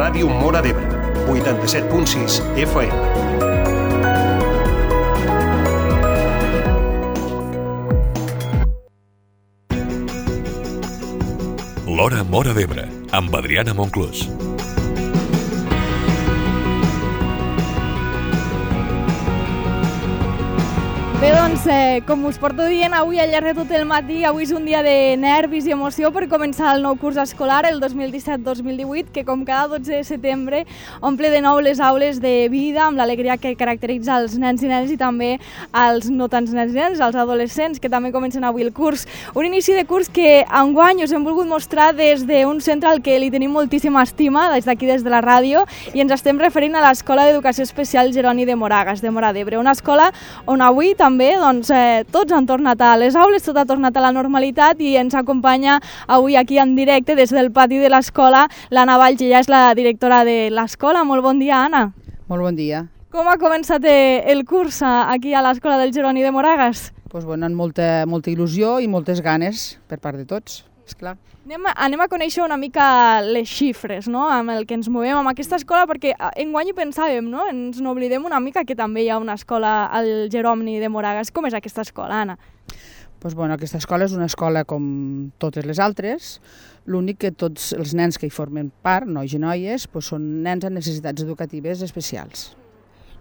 Ràdio Móra d'Ebre, 87.6 FM. L'Hora Móra d'Ebre, amb Adriana Monclús. Bé, doncs, com us porto dient avui al llarg de tot el matí, avui és un dia de nervis i emoció per començar el nou curs escolar, el 2017-2018, que com cada 12 de setembre omple de nou les aules de vida, amb l'alegria que caracteritza els nens i nenes i també els no tants nens i nenes, els adolescents, que també comencen avui el curs. Un inici de curs que enguany us hem volgut mostrar des d'un centre al que li tenim moltíssima estima, des d'aquí, des de la ràdio, i ens estem referint a l'Escola d'Educació Especial Jeroni de Moragas, de Móra d'Ebre, una escola on avui també tots han tornat a les aules, tot ha tornat a la normalitat i ens acompanya avui aquí en directe des del pati de l'escola l'Anna Valls, ella és la directora de l'escola. Molt bon dia, Anna. Molt bon dia. Com ha començat el curs aquí a l'escola del Jeroni de Moragas? Doncs amb molta il·lusió i moltes ganes per part de tots, esclar. Anem a conèixer una mica les xifres, no?, amb el que ens movem amb aquesta escola, perquè enguany hi pensàvem, no?, ens n'oblidem una mica que també hi ha una escola al Jeroni de Moragas. Com és aquesta escola, Anna? Doncs aquesta escola és una escola com totes les altres, l'únic que tots els nens que hi formen part, nois i noies, són nens amb necessitats educatives especials.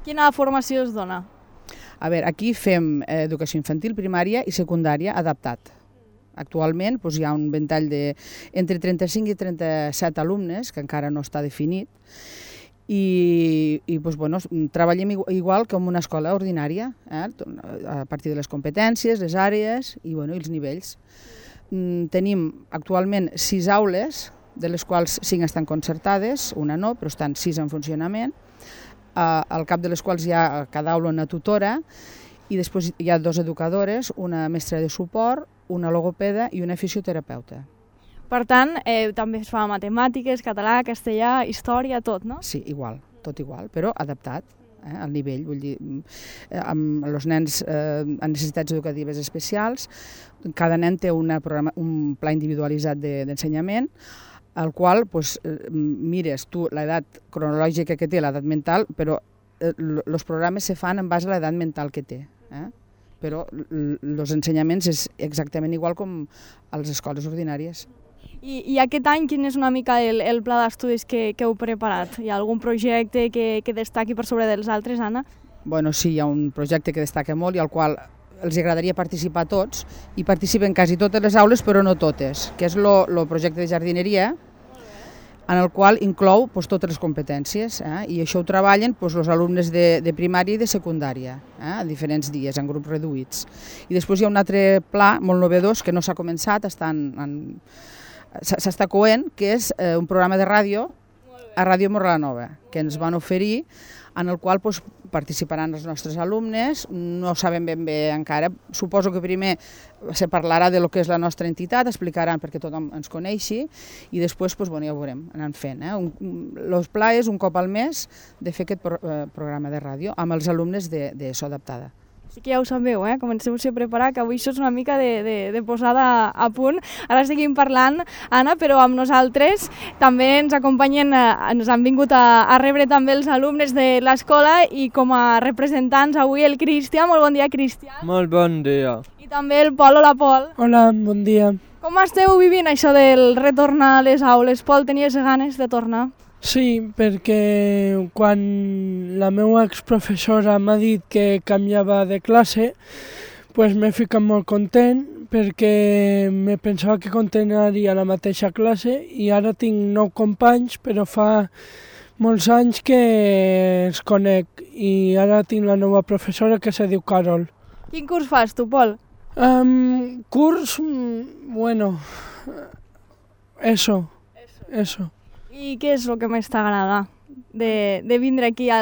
Quina formació es dona? A veure, aquí fem educació infantil, primària i secundària adaptat. Actualment hi ha un ventall entre 35 i 37 alumnes, que encara no està definit, i treballem igual que en una escola ordinària, a partir de les competències, les àrees i els nivells. Tenim actualment 6 aules, de les quals 5 estan concertades, una no, però estan 6 en funcionament, al cap de les quals hi ha cada aula una tutora, i després hi ha 2 educadores, una mestra de suport, una logopeda i una fisioterapeuta. Per tant, també es fa matemàtiques, català, castellà, història, tot, no? Sí, igual, tot igual, però adaptat al nivell, vull dir, amb els nens amb necessitats educatives especials. Cada nen té un pla individualitzat d'ensenyament, al qual mires tu l'edat cronològica que té, l'edat mental, però els programes se fan en base a l'edat mental que té. Però els ensenyaments és exactament igual com a les escoles ordinàries. I aquest any quin és una mica el pla d'estudis que heu preparat? Hi ha algun projecte que destaqui per sobre dels altres, Anna? Sí, hi ha un projecte que destaca molt i al qual els agradaria participar a tots, i participen quasi totes les aules però no totes, que és el projecte de jardineria, en el qual inclou totes les competències, i això ho treballen els alumnes de primària i de secundària, a diferents dies, en grups reduïts. I després hi ha un altre pla molt novedós que no s'ha començat, s'està coent, que és un programa de ràdio a Ràdio Morlanova, que ens van oferir, en el qual participaran els nostres alumnes. No sabem ben bé encara, suposo que primer se parlarà de lo que és la nostra entitat, explicaran perquè tothom ens coneixi, i després ja ho veurem, anant fent. El pla és un cop al mes de fer aquest programa de ràdio amb els alumnes d'ESO adaptada. Sí que ja ho sabeu, comenceu-vos a preparar, que avui això és una mica de posada a punt. Ara seguim parlant, Anna, però amb nosaltres també ens acompanyen, ens han vingut a rebre també els alumnes de l'escola, i com a representants avui el Cristian. Molt bon dia, Cristian. Molt bon dia. I també el Pol. Hola, Pol. Hola, bon dia. Com esteu vivint això del retornar a les aules? Pol, tenies ganes de tornar? Sí, perquè quan la meva exprofessora m'ha dit que canviava de classe, m'he ficat molt content, perquè me pensava que continuaria la mateixa classe, i ara tinc 9 companys, però fa molts anys que els conec, i ara tinc la nova professora que se diu Carol. Quin curs fas tu, Pol? Curs, eso. I què és el que més t'agrada de vindre aquí a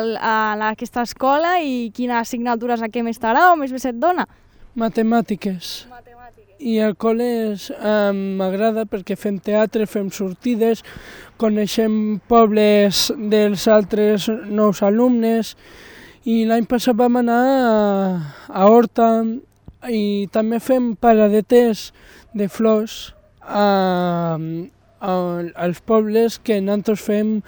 aquesta escola, i quines assignatures a què més t'agrada o més bé se't dona? Matemàtiques. I el col·le m'agrada perquè fem teatre, fem sortides, coneixem pobles dels altres nous alumnes, i l'any passat vam anar a Horta, i també fem paradetes de flors als pobles que nosaltres fem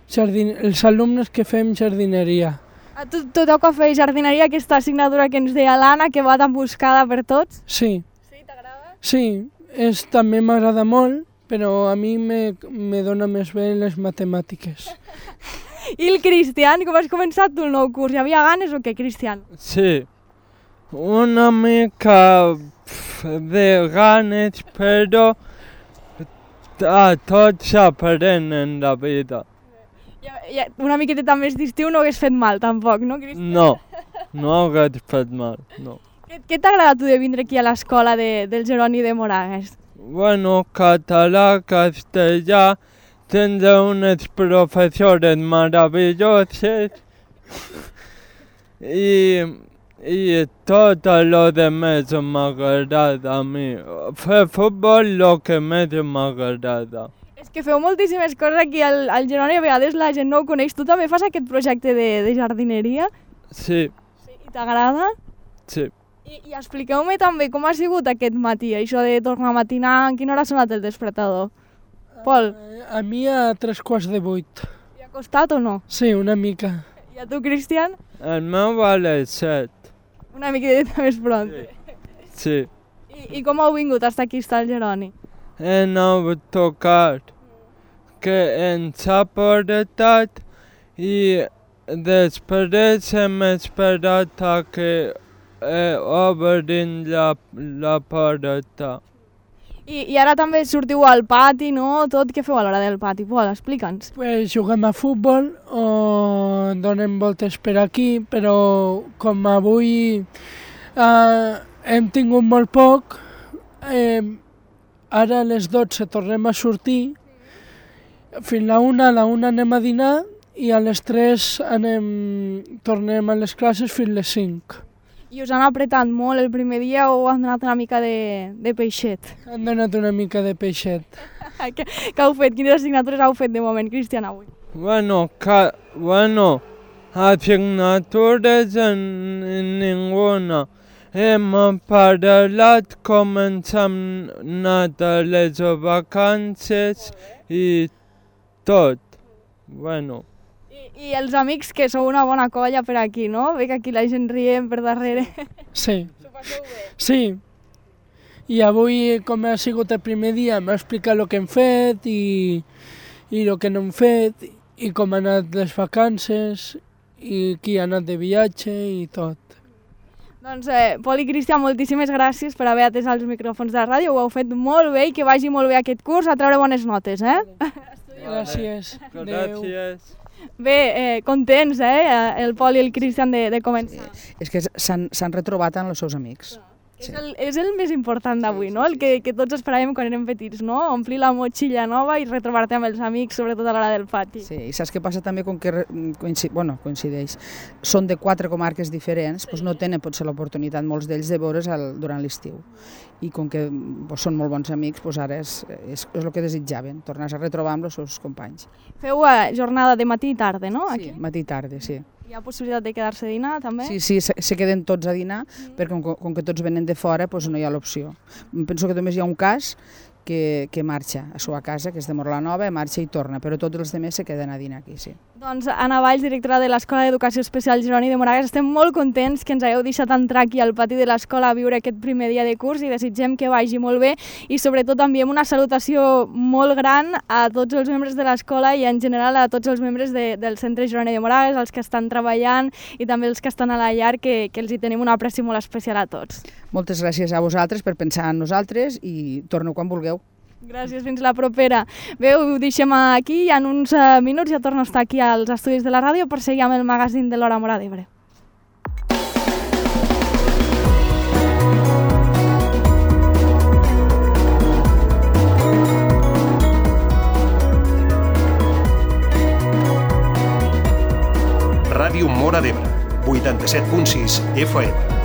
els alumnes que fem jardineria. A tu toca fer jardineria, aquesta assignatura que ens deia l'Anna, que va tan buscada per tots? Sí. Sí, t'agrada? Sí, també m'agrada molt, però a mi me dona més bé les matemàtiques. I el Cristian, com has començat tu el nou curs? Hi havia ganes o què, Cristian? Sí, una mica de ganes, però a tots s'aprèn en la vida. Una miqueta més d'estiu no hagués fet mal, tampoc, no, Cristian? No hagués fet mal, no. Què t'agrada tu de vindre aquí a l'escola del Jeroni de Moragues? Bueno, català, castellà, tens unes professores meravelloses i tot el que més m'agrada a mi. Fer futbol el que més m'agrada. És que feu moltíssimes coses aquí al Jeroni, a vegades la gent no ho coneix. Tu també fas aquest projecte de jardineria? Sí. I t'agrada? Sí. I expliqueu-me també com ha sigut aquest matí, això de tornar a matinar, en quina hora ha sonat el despertador? Pol? A mi a 7:45. I ha costat o no? Sí, una mica. I a tu, Cristian? El meu a les 7. Una miqueta més pront. Sí. I com heu vingut fins aquí, està el Jeroni? En autocar que ens ha portat i després hem esperat a que obrin la porta. I ara també sortiu al pati, no? Tot, què feu a l'hora del pati? Pol, explica'ns. Pues juguem a futbol o donem voltes per aquí, però com avui hem tingut molt poc, ara a les 12 tornem a sortir, fins a la 1 anem a dinar i a les 3 tornem a les classes fins les 5. I us han apretat molt el primer dia o han donat una mica de peixet? Han donat una mica de peixet. Què heu fet? Quines assignatures heu fet de moment, Cristian, avui? Bueno, assignatures ninguna. Hem parlat com ens hem anat a les vacances i tot. Bueno. I els amics, que sou una bona colla per aquí, no? Ve que aquí la gent riem per darrere. Sí. S'ho passeu bé? Sí. I avui, com ha sigut el primer dia, m'ha explicat el que hem fet i el que no hem fet, i com han anat les vacances, i qui ha anat de viatge i tot. Doncs, Pol i Cristian, moltíssimes gràcies per haver atès els micròfons de la ràdio, ho heu fet molt bé i que vagi molt bé aquest curs, a treure bones notes, eh? Gràcies. Gràcies. Bé, contents, el Pol i el Cristian de començar. És que s'han retrobat amb els seus amics. Sí. És el més important d'avui, no? El que tots esperàvem quan érem petits, no? Omplir la motxilla nova i retrobar-te amb els amics, sobretot a l'hora del pati. Sí, i saps què passa també? Com que coincideix, són de 4 comarques diferents, doncs no tenen potser l'oportunitat molts d'ells de veure's durant l'estiu. I com que són molt bons amics, doncs ara és el que desitjaven, tornar a retrobar amb els seus companys. Feu jornada de matí i tarda, no? Sí, matí i tarda, sí. Hi ha possibilitat de quedar-se a dinar, també? Sí, se queden tots a dinar, perquè com que tots venen de fora, doncs no hi ha l'opció. Penso que només hi ha un cas que marxa a seva casa, que és de Morlanova, marxa i torna, però tots els altres se queden a dinar aquí, sí. Doncs Anna Valls, directora de l'Escola d'Educació Especial Jeroni de Moragues, estem molt contents que ens hagueu deixat entrar aquí al pati de l'escola a viure aquest primer dia de curs i desitgem que vagi molt bé i sobretot enviem una salutació molt gran a tots els membres de l'escola i en general a tots els membres del Centre Jeroni de Moragues, els que estan treballant i també els que estan a la llar, que els hi tenim un apreci molt especial a tots. Moltes gràcies a vosaltres per pensar en nosaltres i torneu quan vulgueu. Gràcies, fins la propera. Bé, ho deixem aquí i en uns minuts ja torno a estar aquí als estudis de la ràdio per seguir amb el magazín de l'Hora Móra d'Ebre. Ràdio Móra d'Ebre, 87.6 FM.